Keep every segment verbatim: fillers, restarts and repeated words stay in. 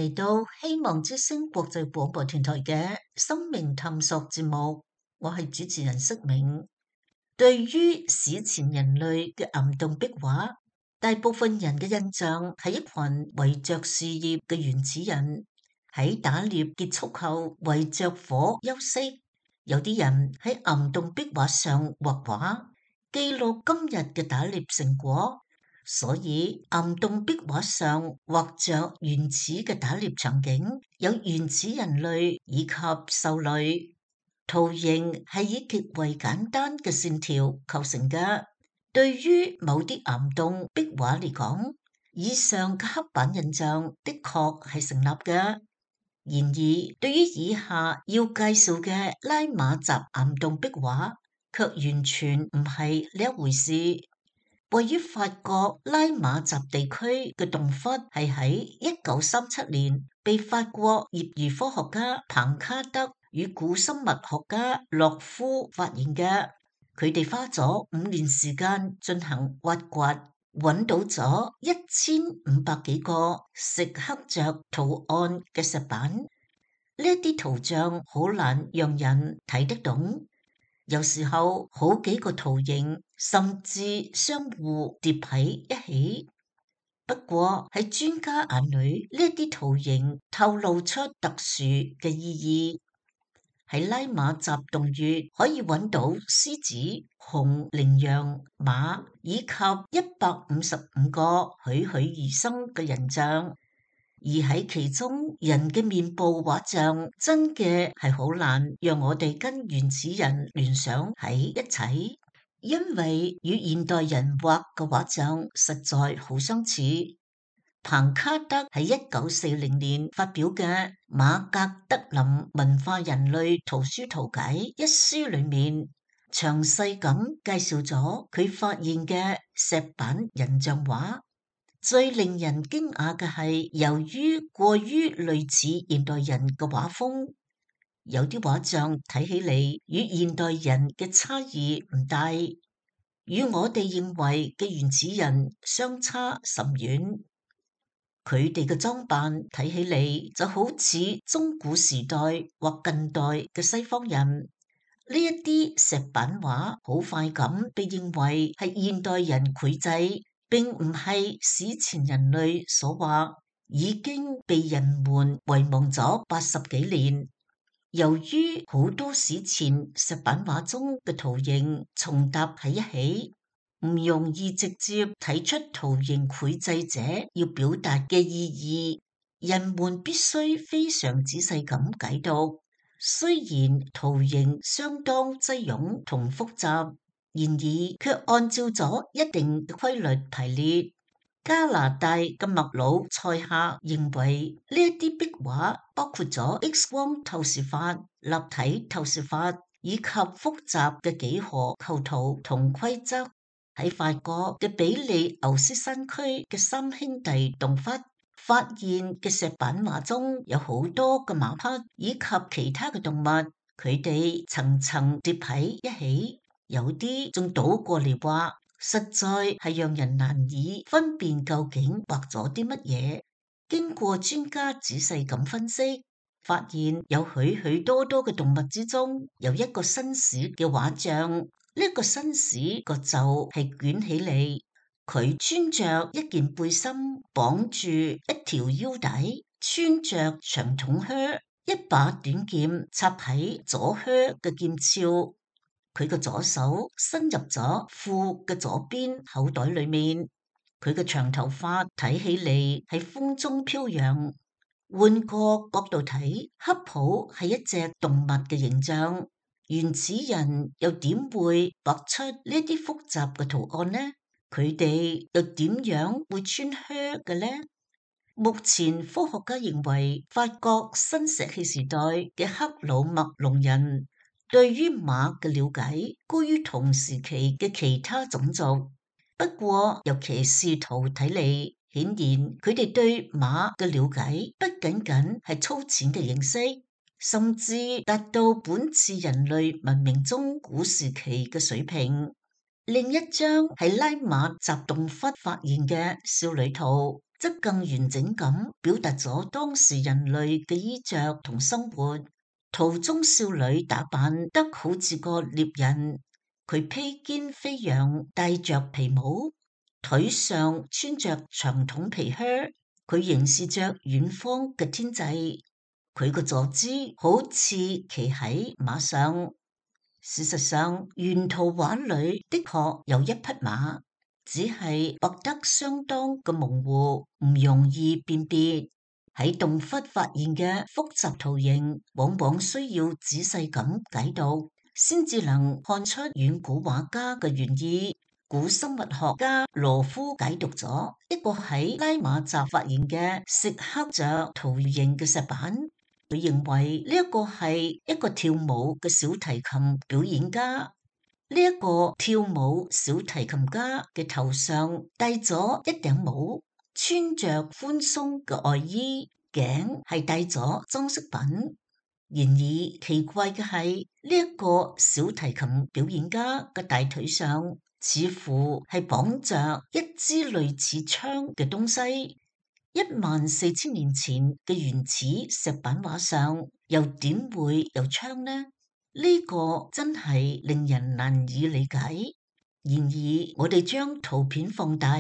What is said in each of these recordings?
嚟到希望之聲國際廣播電台嘅生命探索節目，我係主持人色明。對於史前人類嘅岩洞壁畫，大部分人嘅印象係一群圍着樹葉嘅原始人，喺打獵結束後圍着火休息。有啲人喺岩洞壁畫上畫畫，記錄今日嘅打獵成果。所以岩洞壁畫上畫着原始嘅打獵場景，有原始人類以及獸類。圖形係以極為簡單嘅線條構成嘅。對於某啲岩洞壁畫嚟講，以上嘅刻板印象的確係成立嘅。然而，對於以下要介紹嘅拉瑪澤岩洞壁畫，卻完全唔係呢一回事。位於法國拉瑪澤地區嘅洞窟係喺一九三七年被法國業餘科學家彭卡德與古生物學家洛夫發現嘅。佢哋花咗五年時間進行挖掘，揾到咗一千五百幾個石刻着圖案嘅石板。呢啲圖像好難讓人睇得懂。有時候好幾個圖形甚至相互疊喺一起。不過喺專家眼裏，呢啲圖形透露出特殊嘅意義。喺拉瑪澤洞穴可以揾到獅子、熊、羚羊、馬以及一百五十五個栩栩如生嘅人像。而喺其中，人嘅面部畫像真嘅係好難讓我哋跟原始人聯想喺一齊，因為與現代人畫嘅畫像實在好相似。彭卡德喺一九四零年發表嘅《馬格德林文化人類圖書圖解》一書裏面，詳細咁介紹咗佢發現嘅石板人像畫。最令人驚訝嘅係，由於過於類似現代人嘅畫風，有啲畫像睇起嚟與現代人嘅差異唔大，與我哋認為嘅原始人相差甚遠。佢哋嘅裝扮睇起嚟就好似中古時代或近代嘅西方人。呢一啲石板畫好快咁被認為係現代人繪製，並唔係史前人類所畫，已經被人們遺忘咗八十幾年。由於好多史前石板畫中嘅圖形重疊喺一起，唔容易直接睇出圖形繪製者要表達嘅意義，人們必須非常仔細咁解讀。雖然圖形相當擠擁同複雜，然而卻按照咗一定嘅規律排列。加拿大嘅麥魯塞克認為呢一啲壁畫包括咗 X 光透視法、立體透視法以及複雜嘅幾何構圖同規則。喺法國嘅比利牛斯山區嘅三兄弟洞窟發現嘅石板畫中有好多嘅馬匹以及其他嘅動物，佢哋層層疊喺一起，有啲仲倒過嚟畫，實在係讓人難以分辨究竟畫咗啲乜嘢。經過專家仔細咁分析，發現有許許多多嘅動物之中，有一個紳士嘅畫像。呢個紳士個袖係捲起嚟，佢穿着一件背心，綁住一條腰帶，穿着長筒靴，一把短劍插喺左靴嘅劍鞘。佢嘅左手伸入咗褲嘅左邊口袋裏面，佢嘅長頭髮睇起嚟喺風中飄揚。換個角度睇，恰好係一隻動物嘅形象。原始人又點會畫出呢啲複雜嘅圖案呢？佢哋又點樣會穿靴嘅呢？目前科學家認為，法國新石器時代嘅克魯麥隆人對於馬嘅了解高於同時期嘅其他種族。不過由騎士圖睇嚟，顯然佢哋對馬嘅了解不僅僅係粗淺嘅認識，甚至達到本次人類文明中古時期嘅水平。另一張係拉瑪澤洞窟發現嘅少女圖，則更完整咁表達咗當時人類嘅衣着同生活。圖中少女打扮得好似個獵人，佢披肩飛揚，戴着皮帽，腿上穿着長筒皮靴，佢凝視着遠方嘅天際，佢個坐姿好似騎喺馬上。事實上，原圖畫裏的確有一匹馬，只係畫得相當嘅模糊，唔容易辨別。喺洞窟發現嘅複雜圖形，往往需要仔細咁解讀，先至能看出遠古畫家嘅原意。古生物學家羅夫解讀咗一個喺拉馬澤發現嘅石刻着圖形嘅石板，佢認為呢一個係一個跳舞嘅小提琴表演家。呢、這、一個跳舞小提琴家嘅頭上戴咗一頂帽，穿着寬鬆嘅外衣，頸係戴咗裝飾品。然而奇怪嘅係，呢、這、一個小提琴表演家嘅大腿上似乎係綁着一支類似槍嘅東西。一萬四千年前嘅原始石板畫上又點會有槍呢？呢、這個真係令人難以理解。然而我哋將圖片放大，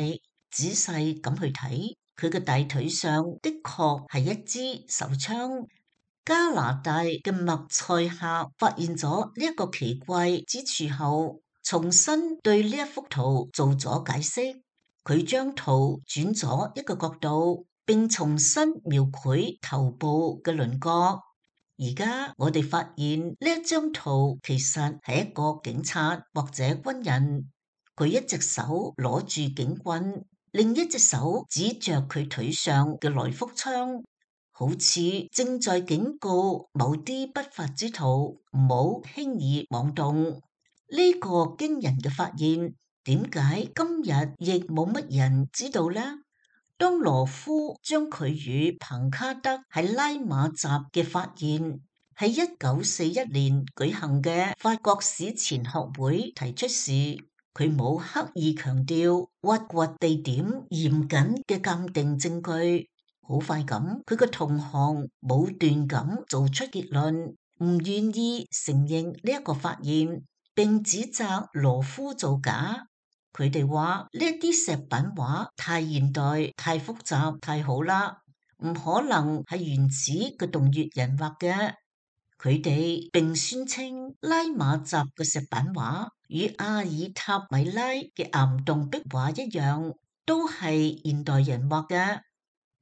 仔細咁去睇，佢嘅大腿上的確係一支手槍。加拿大嘅麥塞克發現咗呢一個奇怪之處後，重新對呢一幅圖做咗解釋。佢將圖轉咗一個角度，並重新描繪頭部嘅輪廓。而家我哋發現呢一張圖其實係一個警察或者軍人，佢一隻手攞住警棍，另一隻手指着佢腿上嘅來福槍，好似正在警告某啲不法之徒唔好輕易妄動。呢個驚人嘅發現，點解今日亦冇乜人知道呢？當羅夫將佢與彭卡德喺拉馬澤嘅發現喺一九四一年舉行嘅法國史前學會提出時，佢冇刻意強調挖掘地點嚴謹嘅鑑定證據。好快咁，佢個同行武斷咁做出結論，唔願意承認呢一個發現，並指責羅夫造假。佢哋話呢一啲石板畫太現代、太複雜、太好啦，唔可能係原始嘅洞穴人畫嘅。佢哋並宣稱拉馬澤嘅石板畫與阿爾塔米拉嘅岩洞壁畫一樣，都係現代人畫嘅。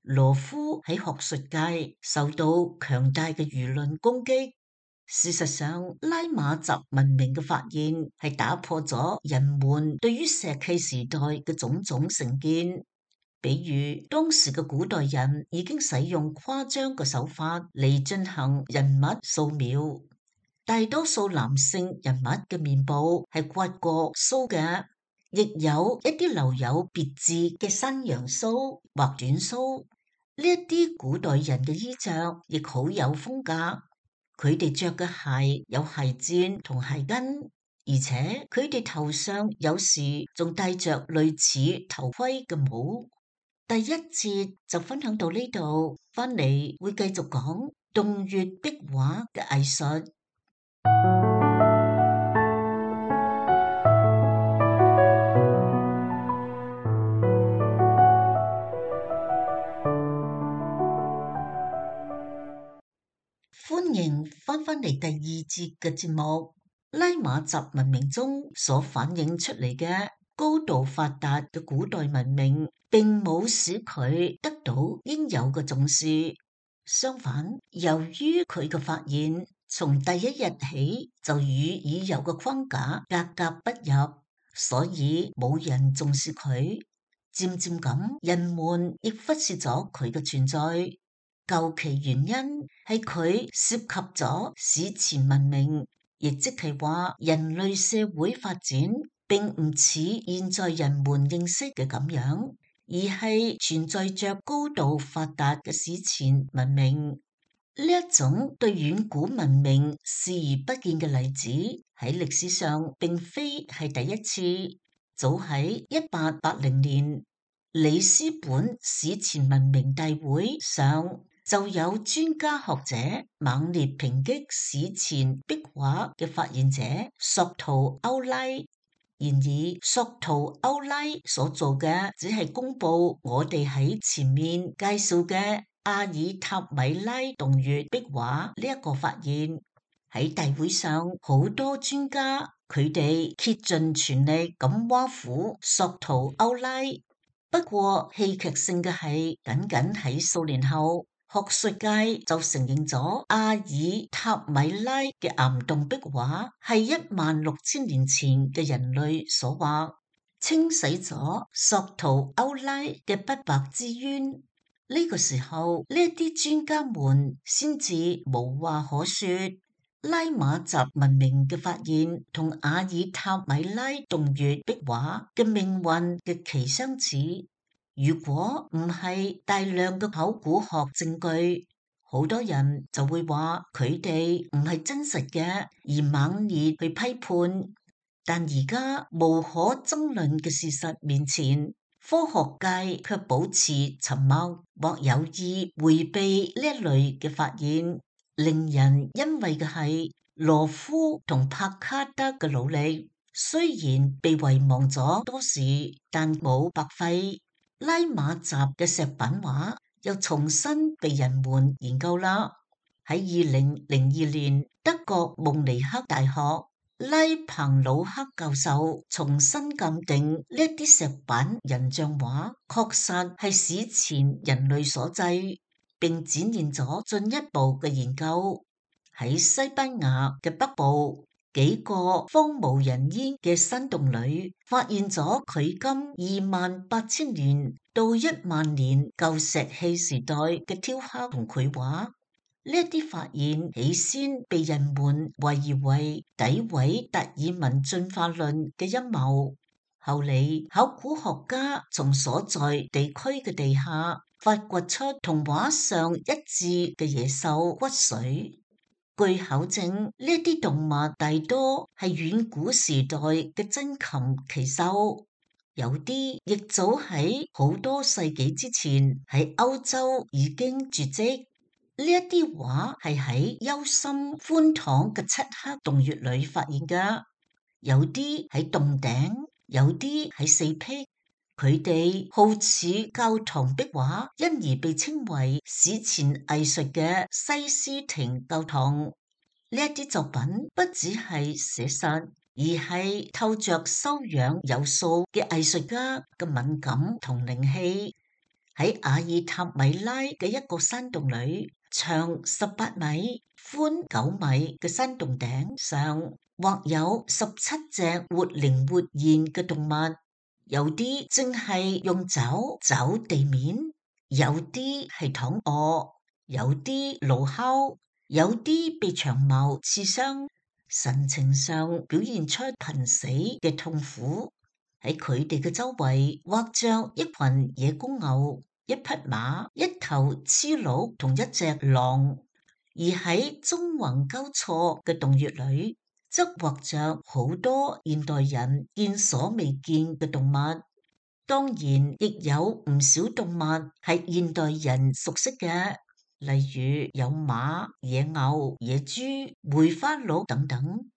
羅夫喺學術界受到強大嘅輿論攻擊。事實上，拉馬澤文明嘅發現係打破咗人們對於石器時代嘅種種成見。比如，當時嘅古代人已經使用誇張嘅手法嚟進行人物素描。大多數男性人物嘅面部係刮過鬚嘅，亦有一啲留有別緻嘅山羊鬚或短鬚。呢一啲古代人嘅衣着亦好有風格。佢哋着嘅鞋有鞋墊同鞋跟，而且佢哋頭上有時仲戴着類似頭盔嘅帽。第一節就分享到呢度，翻嚟會繼續講洞穴壁畫嘅藝術。歡迎翻返嚟第二節嘅節目。拉馬澤文明中所反映出嚟嘅高度發達嘅古代文明，並冇使佢得到應有嘅重視。相反，由於佢嘅發現從第一日起就與已有嘅框架格格不入，所以冇人重視佢。漸漸咁，人們亦忽視咗佢嘅存在。究其原因係佢涉及咗史前文明，亦即係話人類社會發展並唔似現在人們認識嘅咁樣，而係存在着高度發達嘅史前文明。呢一種對遠古文明視而不見嘅例子喺歷史上並非係第一次。早喺一八八零年，里斯本史前文明大會上就有專家學者猛烈抨擊史前壁畫嘅發現者索圖歐拉。然而，索圖歐拉所做嘅只係公布我哋喺前面介紹嘅阿爾塔米拉洞穴壁畫呢一個發現。喺大會上，好多專家佢哋竭盡全力咁挖苦索圖歐拉。不過戲劇性嘅係，僅僅喺數年後，學術界就承認咗阿爾塔米拉嘅岩洞壁畫係一萬六千年前嘅人類所畫，清洗咗索圖歐拉嘅不白之冤。呢、這個時候，呢啲專家們先至無話可說。拉瑪澤文明嘅發現同阿爾塔米拉洞穴壁畫嘅命運極其相似。如果唔係大量嘅考古學證據，好多人就會話佢哋唔係真實嘅，而猛烈去批判。但而家無可爭論嘅事實面前，科學界卻保持沉默或有意迴避呢一類嘅發現。令人欣慰嘅係，羅夫同帕卡德嘅努力雖然被遺忘咗多時，但冇白費。拉瑪澤嘅石板畫又重新被人們研究啦。喺二零零二年，德國慕尼黑大學拉彭魯克教授重新鑑定呢一啲石板人像畫確實係史前人類所製，並展現咗進一步嘅研究。喺西班牙嘅北部幾個荒無人煙嘅山洞裏，發現咗距今二萬八千年到一萬年舊石器時代嘅雕刻同繪畫。呢一啲發現起先被人們懷疑為詆毀達爾文進化論嘅陰謀，後嚟考古學家從所在地區嘅地下發掘出同畫上一致嘅野獸骨髓。據考證，呢一啲動物大多係遠古時代嘅珍禽奇獸，有啲亦早喺好多世紀之前喺歐洲已經絕跡。呢一啲畫係喺幽深寬敞嘅漆黑洞穴裏發現㗎，有啲喺洞頂，有啲喺四壁。佢哋好似教堂壁畫，因而被稱為史前藝術嘅西斯廷教堂。呢一啲作品不只係寫實，而係透着修養有素嘅藝術家嘅敏感同靈氣。喺阿爾塔米拉嘅一個山洞裏，長十八米、寬九米嘅山洞頂上，畫有十七隻活靈活現嘅動物。有啲正係用爪抓地面，有啲係躺臥，有啲怒吼，有啲被長矛刺傷，神情上表現出瀕死嘅痛苦。喺佢哋嘅周圍畫着一群野公牛、一匹馬、一頭雌鹿同一隻狼，而喺縱橫交錯嘅洞穴裏，則畫着好多現代人見所未見嘅動物，當然亦有唔少動物係現代人熟悉嘅，例如有馬、野牛、野豬、梅花鹿等等。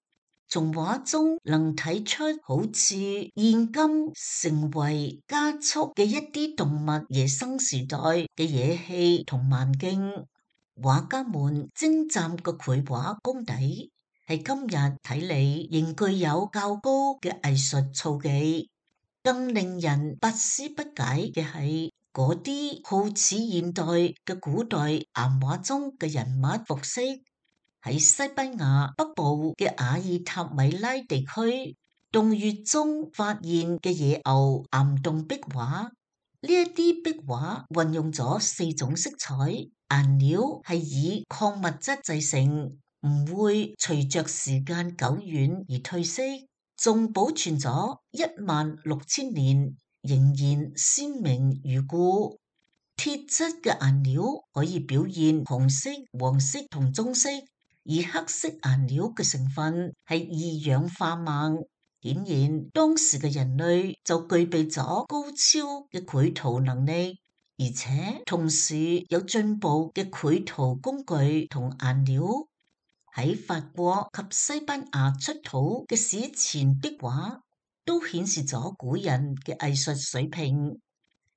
從畫中能睇出好似現今成為加速嘅一啲動物野生時代嘅野氣同蠻勁。畫家們精湛嘅繪畫功底，係今日睇嚟仍具有較高嘅藝術造詣。更令人百思不解嘅係，嗰啲好似現代嘅古代岩畫中嘅人物服飾，喺西班牙北部嘅阿爾塔米拉地區洞穴中發現嘅野牛岩洞壁畫，呢一啲壁畫運用咗四種色彩，顏料係以礦物質製成，唔會隨着時間久遠而褪色，仲保存咗一萬六千年，仍然鮮明如故。鐵質嘅顏料可以表現紅色、黃色同棕色，而黑色顏料嘅成分係二氧化錳。顯然當時嘅人類就具備咗高超嘅繪圖能力，而且同時有進步嘅繪圖工具同顏料。喺法國及西班牙出土嘅史前壁畫都顯示咗古人嘅藝術水平。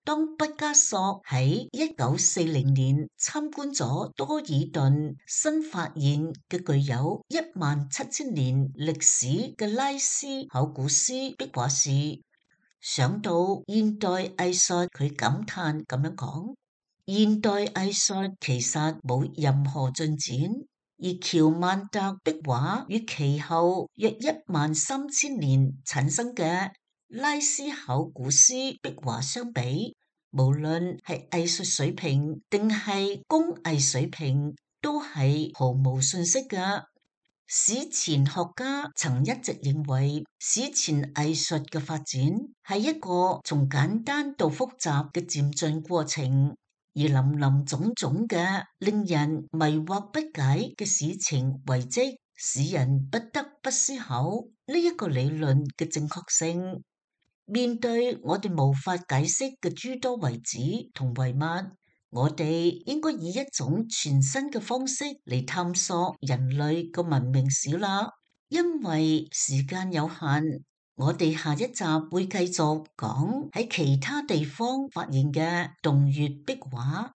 當畢加索喺一九四零年參觀咗多爾頓新發現嘅具有一萬七千年歷史嘅拉斯考古斯壁畫時，想到現代藝術，佢感嘆咁樣講：現代藝術其實冇任何進展。而喬曼特壁畫與其後約一萬三千年產生嘅拉斯考古斯壁畫相比，無論係藝術水平定係工藝水平，都係毫無遜色嘅。史前學家曾一直認為，史前藝術嘅發展係一個從簡單到複雜嘅漸進過程。而林林總總嘅令人迷惑不解嘅史前遺跡，使人不得不思考呢一個理論嘅正確性。面對我哋無法解釋嘅諸多遺址同遺物，我哋應該以一種全新嘅方式嚟探索人類嘅文明史啦。因為時間有限，我哋下一集會繼續講喺其他地方發現嘅洞穴壁畫。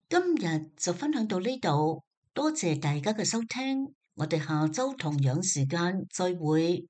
今日就分享到呢度，多謝大家嘅收聽，我哋下周同樣時間再會。